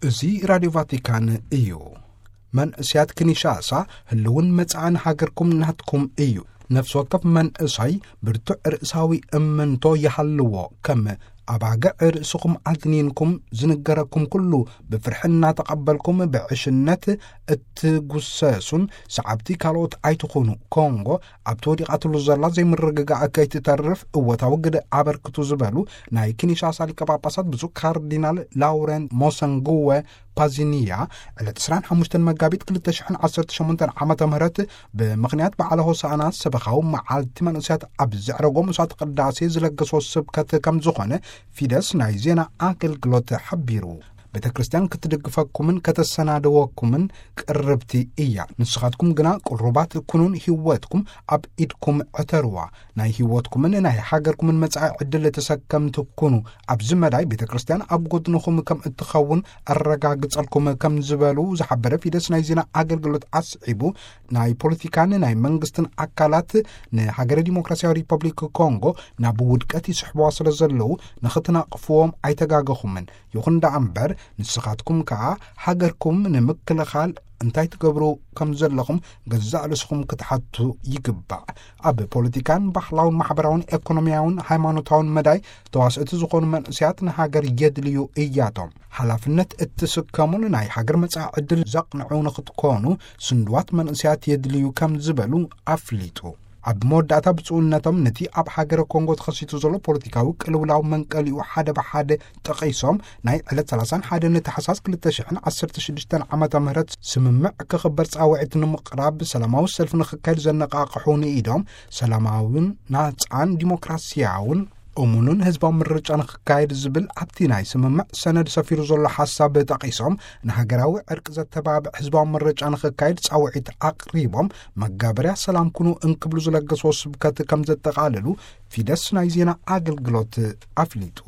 እዚ ራድዮ ቫቲካን እዩ። መንእስያት ኪንሻሳ፣ ህልውን መጻእን ሃገርኩም ናትኩም እዩ። ነፍሲ ወከፍ መንእሳይ ብርቱዕ ርእሳዊ እምንቶ ይሃልዎ። ከም ኣባግዕ ርእስኹም ኣድኒንኩም፣ ዝንገረኩም ኩሉ ብፍርሒ እናተቐበልኩም፣ ብዕሽነት እትጉሰሱን ሰዓብቲ ካልኦት ኣይትኹኑ። ኮንጎ ኣብቲ ወዲቓትሉ ዘላ ዘይምርግጋእ ከይትተርፍ እወታዊ ግደ ኣበርክቱ ዝበሉ ናይ ኪንሻሳ ሊቀ ጳጳሳት ብፁዕ ካርዲናል ላውረንት ሞሰንጉወ ፓዚኒያ፣ ዕለት ዕስራን ሓሙሽተን መጋቢት ክልተ ሽሕን ዓሰርተ ሸሞንተን ዓመተ ምህረት ብምኽንያት በዓለ ሆሳዕና ሰበኻዊ መዓልቲ መንእስያት ኣብ ዘዕረጎ መስዋዕቲ ቅዳሴ ዝለገሶ ስብከት ከም ዝኾነ ፊደስ ናይ ዜና ኣገልግሎት ሓቢሩ። ቤተ ክርስቲያን ክትድግፈኩምን ከተሰናድወኩምን ቅርብቲ እያ። ንስኻትኩም ግና ቅሩባት ኩኑን ህይወትኩም ኣብ ኢድኩም ዕተርዋ። ናይ ህይወትኩምን ናይ ሃገርኩምን መጻኢ ዕድል ተሰከምቲ ኩኑ። ኣብዚ መዳይ ቤተ ክርስቲያን ኣብ ጎድንኹም ከም እትኸውን ኣረጋግጸልኩም ከም ዝበሉ ዝሓበረ ፊደስ ናይ ዜና ኣገልግሎት ኣስዒቡ፣ ናይ ፖለቲካን ናይ መንግስትን ኣካላት ንሃገረ ዲሞክራሲያዊ ሪፐብሊክ ኮንጎ ናብ ውድቀት ይስሕብዋ ስለ ዘለዉ ንኽትነቕፍዎም ኣይተጋገኹምን። ይኹን ደኣ እምበር ንስኻትኩም ከኣ ሃገርኩም ንምክልኻል እንታይ ትገብሩ ከም ዘለኹም ገዛእ ርእስኹም ክትሓቱ ይግባእ። ኣብ ፖለቲካን ባህላውን ማሕበራውን ኤኮኖሚያውን ሃይማኖታውን መዳይ ተዋስእቲ ዝኾኑ መንእስያት ንሃገር የድልዩ እያቶም። ሓላፍነት እትስከሙን ናይ ሃገር መጻኢ ዕድል ዘቕንዑ ንኽትኮኑ ስንድዋት መንእስያት የድልዩ ከም ዝበሉ ኣፍሊጡ። ኣብ መወዳእታ ብፁዕነቶም ነቲ ኣብ ሃገረ ኮንጎ ተኸሲቱ ዘሎ ፖለቲካዊ ቅልውላው መንቀሊኡ ሓደ ብሓደ ጠቒሶም፣ ናይ ዕለት ሰላሳን ሓደን ታሕሳስ ክልተ ሽሕን ዓሰርተ ሽዱሽተን ዓመተ ምህረት ስምምዕ ክኽበር ጻውዒት ንምቕራብ ሰላማዊ ሰልፊ ንኽካየድ ዘነቓቕሑ ንኢዶም፣ ሰላማውን ናጻን ዲሞክራሲያውን እሙንን ህዝባዊ ምርጫ ንኽካየድ ዝብል ኣብቲ ናይ ስምምዕ ሰነድ ሰፊሩ ዘሎ ሓሳብ ጠቒሶም፣ ንሃገራዊ ዕርቂ ዘተባብዕ ህዝባዊ ምርጫ ንኽካየድ ጻውዒት ኣቕሪቦም፣ መጋበርያ ሰላም ኩኑ እንክብሉ ዝለገስዎ ስብከት ከም ዘጠቓለሉ ፊደስ ናይ ዜና ኣገልግሎት ኣፍሊጡ።